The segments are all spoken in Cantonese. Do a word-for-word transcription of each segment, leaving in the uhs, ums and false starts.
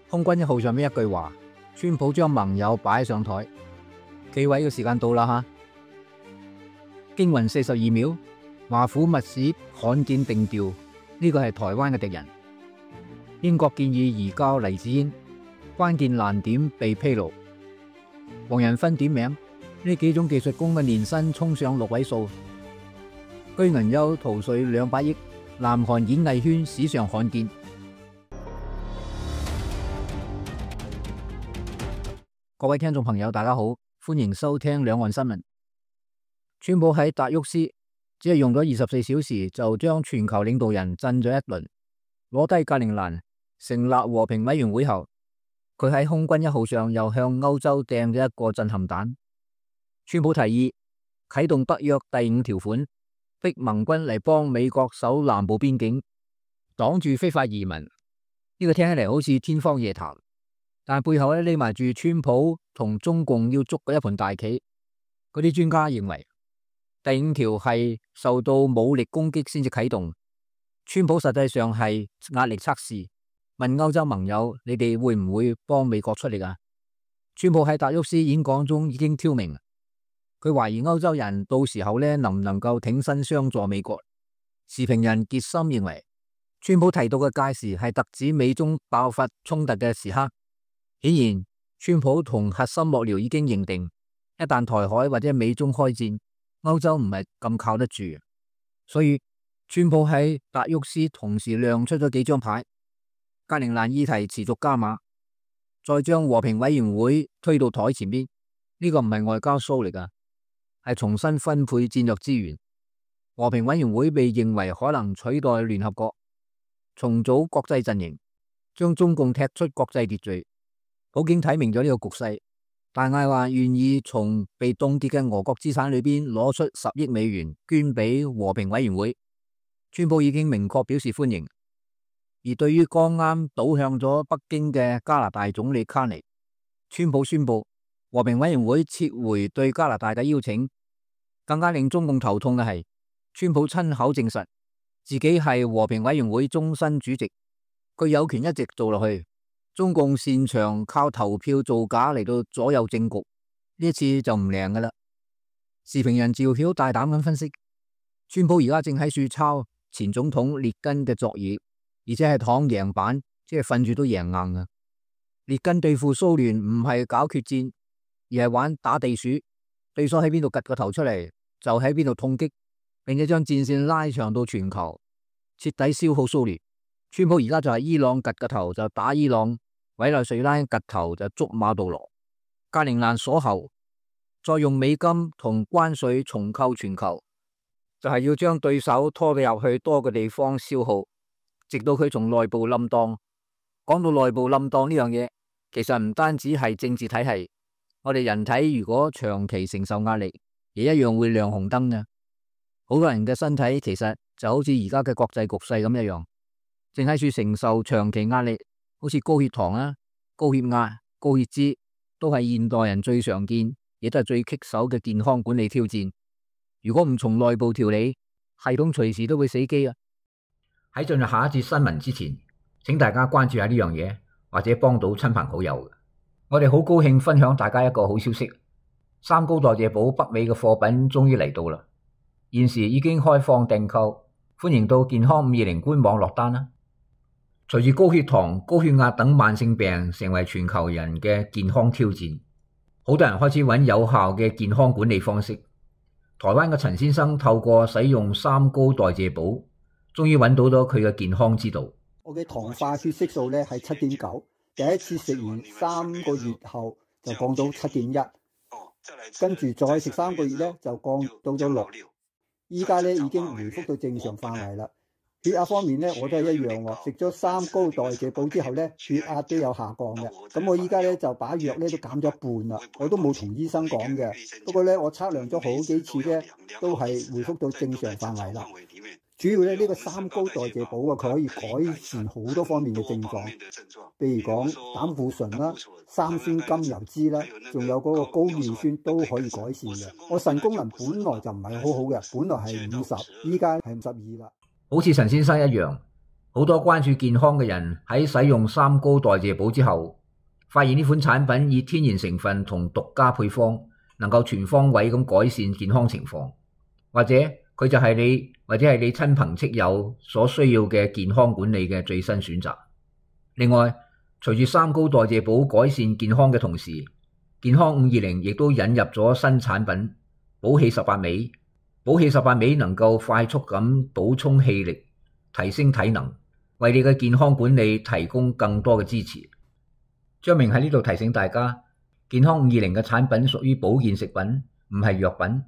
空軍一號上面一句話，川普將盟友擺上台，企位嘅時間到啦吓！驚魂四十二秒，華府密使罕見定調，呢個係台灣嘅敵人。英國建議移交黎智英，關鍵難點被披露。黃仁勳點名，呢幾種技術工嘅年薪衝上六位數。居銀優逃稅兩百億，南韓演藝圈史上罕見。各位聽眾朋友，大家好，歡迎收聽兩岸新聞。川普喺達沃斯只係用咗二十四小時就將全球領導人震咗一輪，攞低格陵蘭成立和平委員會後，佢喺空軍一號上又向歐洲掟咗一個震撼彈。川普提議啟動北約第五條款，逼盟軍嚟幫美國守南部邊境，擋住非法移民。呢個聽起嚟好似天方夜譚。但係背後咧匿埋住川普同中共要捉嘅一盤大棋。嗰啲專家認為，第五條係受到武力攻擊先至啟動，川普實際上係壓力測試，問歐洲盟友：你哋會唔會幫美國出力啊？川普喺達沃斯演講中已經挑明，佢懷疑歐洲人到時候咧能唔能夠挺身相助美國。時評人傑森認為，川普提到嘅屆時係特指美中爆發衝突嘅時刻。顯然，川普同核心幕僚已經認定，一旦台海或者美中開戰，歐洲唔係咁靠得住。所以，川普喺達沃斯同時亮出咗幾張牌，格陵蘭議題持續加碼，再將和平委員會推到台前邊。呢個唔係外交 show 嚟噶，係重新分配戰略資源。和平委員會被認為可能取代聯合國，重組國際陣營，將中共踢出國際秩序。普京睇明咗呢個局勢，大嗌話願意從被凍結嘅俄國資產裏邊攞出十億美元捐俾和平委員會。川普已經明確表示歡迎。而對於剛啱倒向咗北京嘅加拿大總理卡尼，川普宣布和平委員會撤回對加拿大嘅邀請。更加令中共頭痛嘅係，川普親口證實自己係和平委員會終身主席，佢有權一直做落去。中共擅長靠投票造假嚟到左右政局，呢一次就唔靈噶啦。時評人趙曉大膽咁分析，川普而家正喺處抄前總統列根嘅作業，而且係躺贏版，即係瞓住都贏硬啊！列根對付蘇聯唔係搞決戰，而係玩打地鼠，對手喺邊度趷個頭出嚟，就喺邊度痛擊，並且將戰線拉長到全球，徹底消耗蘇聯。川普而家就係伊朗趷個頭就打伊朗，委內瑞拉趷頭就捉馬杜羅，格陵蘭鎖喉，再用美金同關稅重構全球，就係要將對手拖到入去多個地方消耗，直到佢從內部冧檔。講到內部冧檔呢樣嘢，其實唔單止係政治體系，我哋人體如果長期承受壓力，亦一樣會亮紅燈嘅。好多人嘅身體其實就好似而家嘅國際局勢咁一樣，正喺處承受長期壓力。好似高血糖啊、高血壓、高血脂，都係現代人最常見，亦都係最棘手嘅健康管理挑戰。如果唔從內部調理，系統隨時都會死機啊！喺進入下一節新聞之前，請大家關注下呢樣嘢，或者幫到親朋好友。我哋好高興分享大家一個好消息，三高代謝寶北美嘅貨品終於嚟到啦！現時已經開放訂購，歡迎到健康五二零官網落單啦！隨住高血糖、高血壓等慢性病成為全球人嘅健康挑戰，好多人開始揾有效嘅健康管理方式。台灣嘅陳先生透過使用三高代謝寶，終於揾到咗佢嘅健康之道。我嘅糖化血色素咧係七點九，第一次食完三個月後就降到七點一，跟住再食三個月咧就降到咗六，依家咧已經回復到正常範圍啦。血壓方面咧，我都係一樣喎。食咗三高代謝寶之後咧，血壓都有下降嘅。咁我依家咧就把藥咧都減咗一半啦。我都冇同醫生講嘅。不過咧，我測量咗好幾次咧，都係回復到正常範圍啦。主要咧呢、這個三高代謝寶啊，佢可以改善好多方面嘅症狀，譬如講膽固醇啦、三酸甘油脂啦，仲有嗰個高尿酸都可以改善嘅。我腎功能本來就唔係好好嘅，本來係五十，依家係五十二啦。好似陳先生一樣，好多關注健康嘅人喺使用三高代謝寶之後，發現呢款產品以天然成分同獨家配方，能夠全方位咁改善健康情況，或者佢就係你或者係你親朋戚友所需要嘅健康管理嘅最新選擇。另外，隨住三高代謝寶改善健康嘅同時，健康五二零亦都引入咗新產品寶氣十八味。寶氣十八味能夠快速咁補充氣力，提升體能，為你嘅健康管理提供更多嘅支持。張明喺呢度提醒大家，健康五二零嘅產品屬於保健食品，唔係藥品。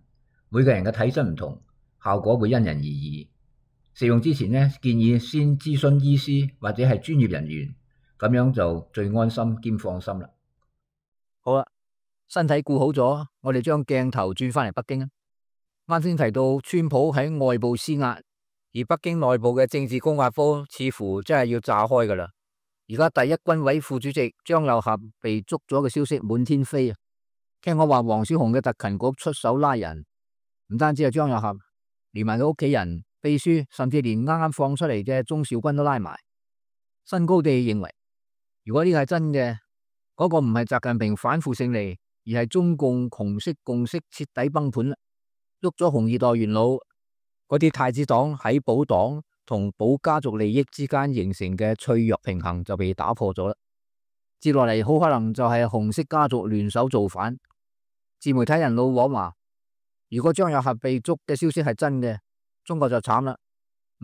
每個人嘅體質唔同，效果會因人而異。食用之前呢，建議先諮詢醫師或者係專業人員，咁樣就最安心兼放心啦。好啦，身體顧好咗，我哋將鏡頭轉翻嚟北京啊。啱先提到川普喺外部施壓，而北京內部嘅政治高壓科似乎真係要炸開噶啦。而家第一軍委副主席張又俠被捉咗嘅消息滿天飛啊！聽講話黃小紅嘅特勤局出手拉人，唔單止係張又俠，連埋佢屋企人、秘書，甚至連啱啱放出嚟嘅鍾兆軍都拉埋。新高地認為，如果呢個係真嘅，嗰、那個唔係習近平反腐勝利，而係中共紅色共識徹底崩盤啦！喐咗紅二代元老，嗰啲太子黨喺保黨同保家族利益之間形成嘅脆弱平衡就被打破咗啦。接落嚟好可能就係紅色家族聯手造反。自媒體人老王話，如果張又俠被捉嘅消息係真嘅，中國就慘啦。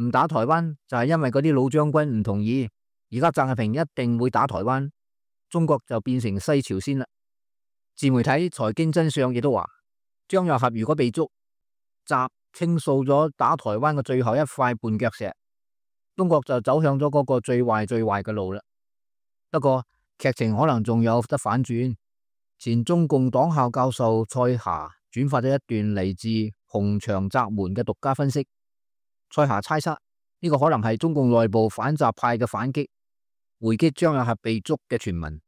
唔打台灣就係因為嗰啲老將軍唔同意，而家習近平一定會打台灣，中國就變成西朝鮮啦。自媒體財經真相亦都話，張又俠如果被捉，習傾訴咗打台灣嘅最後一塊絆腳石，中國就走向咗嗰個最壞最壞嘅路啦。不過劇情可能仲有得反轉。前中共黨校教授蔡霞轉發咗一段嚟自洪長閘門嘅獨家分析。蔡霞猜測呢個可能係中共內部反習派嘅反擊，回擊張又俠被捉嘅傳聞。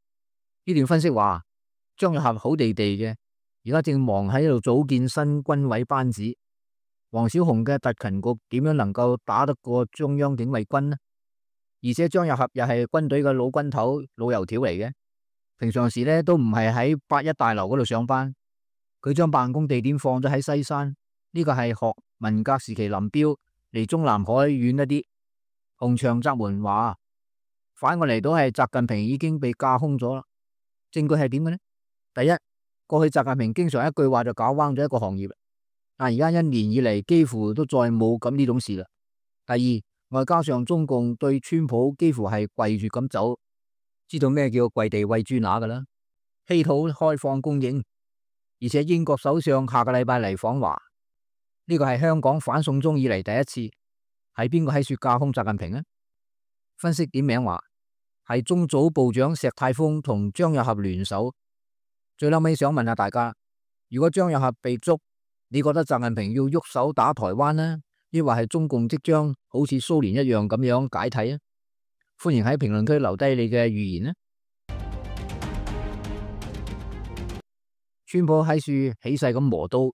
呢段分析話，張又俠好地地嘅，而家正忙喺度組建新軍委班子。黃小紅嘅特勤局點樣能夠打得過中央警衛軍呢？而且張又俠又係軍隊嘅老軍頭、老油條嚟嘅，平常時咧都唔係喺八一大樓嗰度上班，佢將辦公地點放咗喺西山，呢、這個係學文革時期林彪，離中南海遠一啲。洪長閘門話，反過嚟都係習近平已經被架空咗啦。證據係點嘅呢？第一，過去習近平經常一句話就搞彎咗一個行業，但而家一年以嚟幾乎都再冇咁呢種事啦。第二，外加上中共對川普幾乎係跪住咁走，知道咩叫跪地餵豬乸噶啦，稀土開放供應，而且英國首相下個禮拜嚟訪華，呢個係香港反送中以嚟第一次。係邊個喺說架空習近平呢？分析點名話係中組部長石泰峰同張又俠聯手。最後尾想問下大家，如果張又俠被捉，你覺得習近平要喐手打台灣呢？抑或係中共即將好似蘇聯一樣咁樣解體啊？歡迎喺評論區留低你嘅預言呢。川普喺處起勢咁磨刀，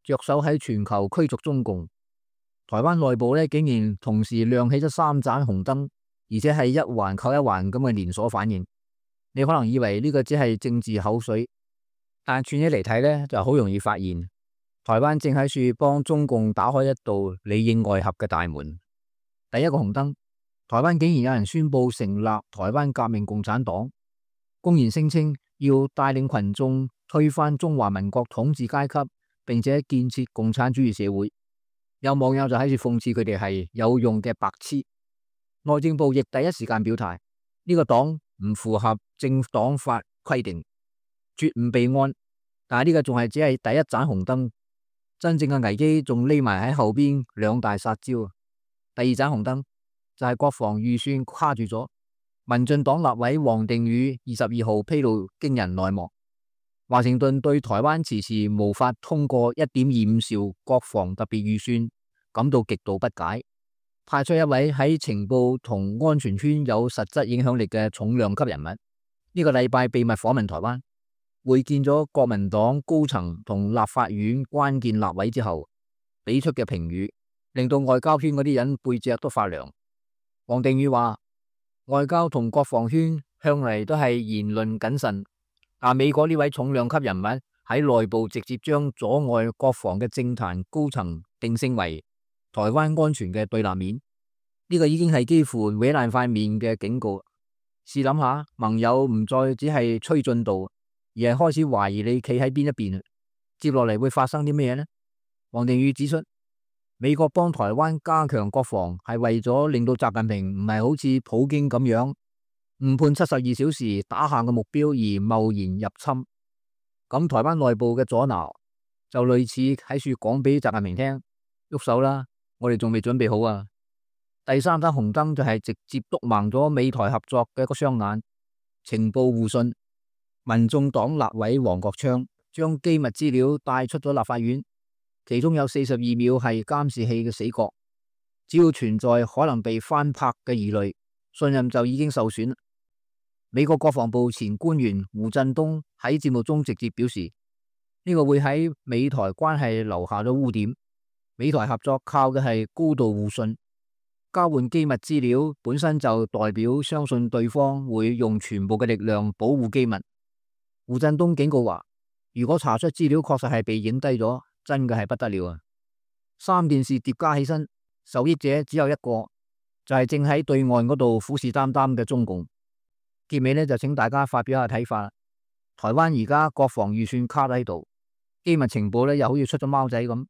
着手喺全球驅逐中共。台灣內部咧竟然同時亮起咗三盞紅燈，而且係一環扣一環咁嘅連鎖反應。你可能以為呢個只係政治口水，但串起嚟睇咧就好容易發現，台灣正喺處幫中共打開一道裏應外合嘅大門。第一個紅燈，台灣竟然有人宣布成立台灣革命共產黨，公然聲稱要帶領群眾推翻中華民國統治階級，並且建設共產主義社會。有網友就喺度諷刺佢哋係有用嘅白痴。內政部亦第一時間表態，呢個黨唔符合政黨法規定，絕唔備案。但係呢個仲係只係第一盞紅燈，真正嘅危機仲匿埋喺後邊兩大殺招。第二盞紅燈就係國防預算卡住咗。民進黨立委王定宇二十二號披露驚人內幕。華盛頓對台灣遲遲無法通過一點二五兆國防特別預算感到極度不解，派出一位喺情報同安全圈有實質影響力嘅重量級人物，呢、這個禮拜秘密訪問台灣，會見咗國民黨高層同立法院關鍵立委之後，俾出嘅評語令到外交圈嗰啲人背脊都發涼。王定宇話，外交同國防圈向嚟都係言論謹慎，但美國呢位重量級人物喺內部直接將阻礙國防嘅政壇高層定性為台灣安全嘅對立面，呢個已經係幾乎毀爛塊面嘅警告。試諗下，盟友唔再只係催進度，而係開始懷疑你企喺邊一邊，接落嚟會發生啲咩呢？王定宇指出，美國幫台灣加強國防係為咗令到習近平唔係好似普京咁樣誤判七十二小時打下嘅目標而貿然入侵。咁台灣內部嘅阻撓就類似喺處講俾習近平聽，喐手啦，我哋仲未準備好啊。第三盞紅燈就係直接督盲咗美台合作嘅一個雙眼，情報互信。民眾黨立委黃國昌將機密資料帶出咗立法院，其中有四十二秒係監視器嘅死角，只要存在可能被翻拍嘅疑慮，信任就已經受損。美國國防部前官員胡振東喺節目中直接表示，呢個會喺美台關係留下咗污點。美台合作靠嘅係高度互信。交換機密資料本身就代表相信對方會用全部嘅力量保護機密。胡振東警告話，如果查出資料確實係被影低咗，真嘅係不得了啊！三件事疊加起身，受益者只有一個，就係正喺對岸嗰度虎視眈眈嘅中共。結尾呢，就請大家發表下睇法。台灣而家國防預算卡喺度，機密情報呢又好似出咗貓仔咁，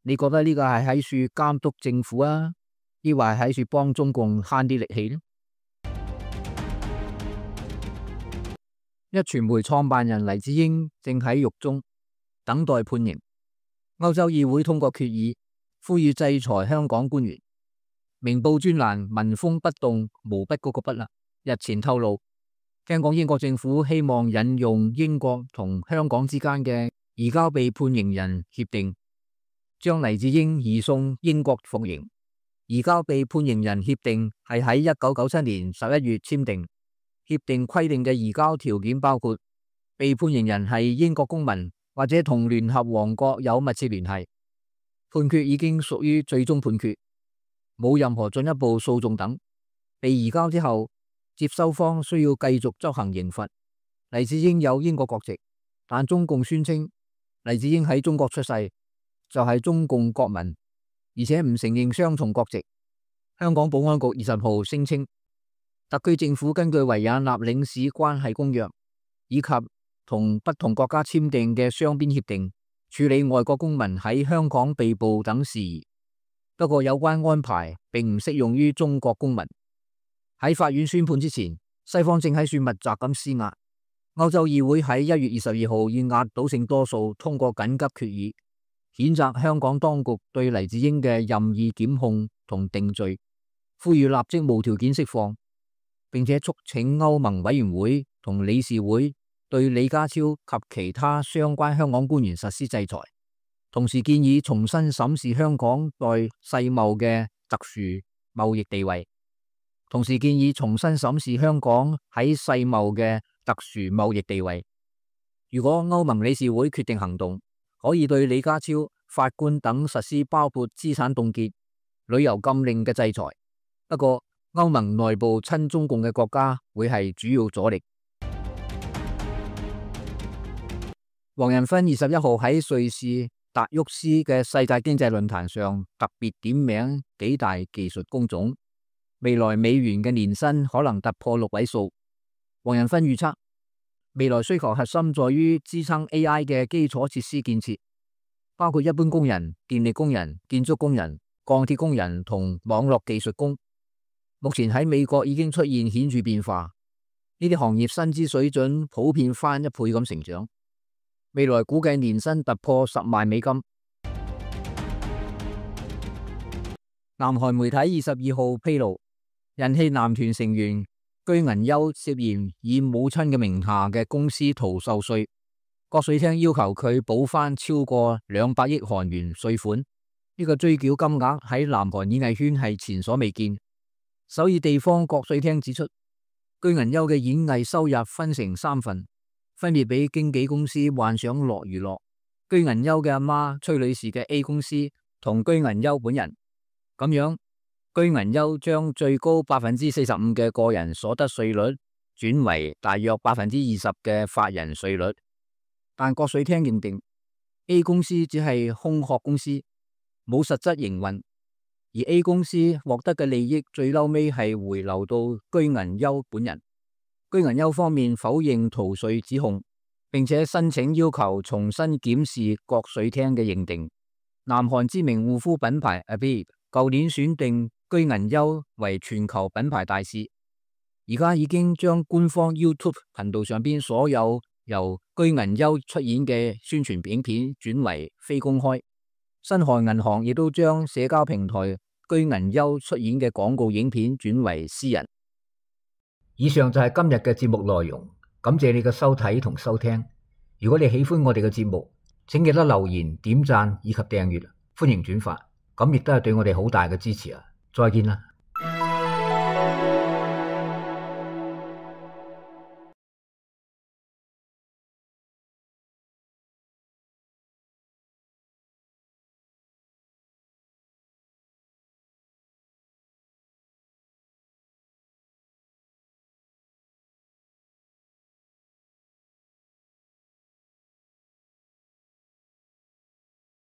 你覺得呢個係喺處監督政府啊，抑或係喺處幫中共慳啲力氣呢？一傳媒創辦人黎智英正喺獄中等待判刑。歐洲議會通過決議，呼籲制裁香港官員。明報專欄民風不動，毛筆嗰個筆啦，日前透露，聽講英國政府希望引用英國同香港之間嘅移交被判刑人協定，將黎智英移送英國服刑。移交被判刑人協定係喺一九九七年十一月簽訂，協定規定嘅移交條件包括被判刑人係英國公民或者同聯合王國有密切聯繫，判決已經屬於最終判決，冇任何進一步訴訟等。被移交之後，接收方需要繼續執行刑罰。黎智英有英國國籍，但中共宣稱黎智英喺中國出世，就係中共國民，而且唔承認雙重國籍。香港保安局二十號聲稱，特區政府根據維也納領事關係公約以及同不同國家簽訂嘅雙邊協定，處理外國公民喺香港被捕等事宜。不過有關安排並唔適用於中國公民。喺法院宣判之前，西方正喺處密集咁施壓。歐洲議會喺一月二十二號以壓倒性多數通過緊急決議，譴責香港當局對黎智英嘅任意檢控同定罪，呼籲立即無條件釋放，並且促請歐盟委員會同理事會對李家超及其他相關香港官員實施制裁，同時建議重新審視香港在世貿嘅特殊貿易地位，同時建議重新審視香港喺世貿嘅特殊貿易地位。如果歐盟理事會決定行動，可以對李家超、法官等實施包括資產凍結、旅遊禁令嘅制裁。不過，歐盟內部親中共嘅國家會係主要阻力。黃仁勳二十一號喺瑞士達沃斯嘅世界經濟論壇上特別點名幾大技術工種，未來美元嘅年薪可能突破六位數。黃仁勳預測，未來需求核心在於支撐 A I 嘅基礎設施建設，包括一般工人、電力工人、建築工人、鋼鐵工人同網絡技術工。目前喺美國已經出現顯著變化，呢啲行業薪資水準普遍翻一倍咁成長。未來估計年薪突破十萬美金。南韓媒體二十二號披露，人氣男團成員居銀優涉嫌以母親嘅名下嘅公司逃漏稅，國稅廳要求佢補翻超過兩百億韓元稅款。呢、這個追繳金額喺南韓演藝圈係前所未見。首爾地方國稅廳指出，居銀優嘅演藝收入分成三份，分別俾經紀公司幻想樂娛樂、居銀優嘅阿媽崔女士嘅 A 公司同居銀優本人。咁樣居銀優將最高百分之四十五嘅個人所得稅率轉為大約百分之二十嘅法人稅率，但國稅廳認定 A 公司只係空殼公司，冇實質營運，而 A 公司獲得嘅利益最嬲尾係回流到居銀優本人。居銀優方面否認逃稅指控，並且申請要求重新檢視國稅廳嘅認定。南韓知名護膚品牌 Abib 舊年選定居銀優為全球品牌大使，而家已經將官方 YouTube 頻道上邊所有由居銀優出演嘅宣傳影片轉為非公開。新韓銀行亦都將社交平台居銀優出演嘅廣告影片轉為私人。以上就係今日嘅節目內容，感謝你嘅收睇同收聽。如果你喜歡我哋嘅節目，請記得留言、點讚以及訂閱，歡迎轉發，咁亦都係對我哋好大嘅支持啊！再見啦！